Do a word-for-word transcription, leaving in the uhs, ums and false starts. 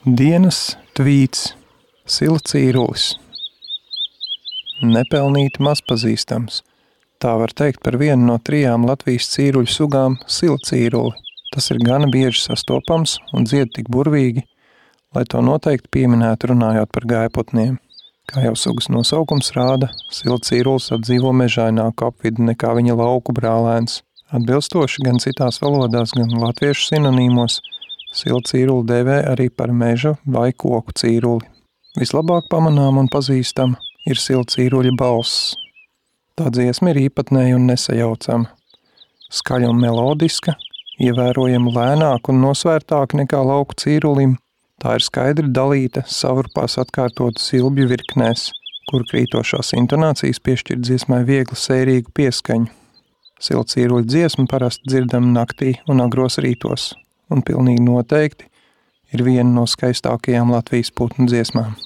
Dienas tvīts, silcīrulis. Nepelnīti mazpazīstams. Tā var teikt par vienu no trijām Latvijas cīruļu sugām – silcīruli. Tas ir gana bieži sastopams un dzied tik burvīgi, lai to noteikti pieminētu runājot par gājputniem. Kā jau sugas nosaukums rāda, silcīrulis apdzīvo mežaināku apvidu nekā viņa lauku brālēns. Atbilstoši gan citās valodās, gan latviešu sinonīmos, silcīruli dēvē arī par meža vai koku cīruli. Vislabāk pamanām un pazīstama ir silcīruļa balss. Tā dziesma ir īpatnēja un nesajaucama. Skaļa un melodiska, ievērojami lēnāk un nosvērtāk nekā lauku cīrulim, tā ir skaidri dalīta savrupās atkārtotu silbju virknēs, kur krītošās intonācijas piešķir dziesmai viegli sērīgu pieskaņu. Silcīruļa dziesma parasti dzirdama naktī un agros rītos, un pilnīgi noteikti ir viena no skaistākajām Latvijas putnu dziesmām.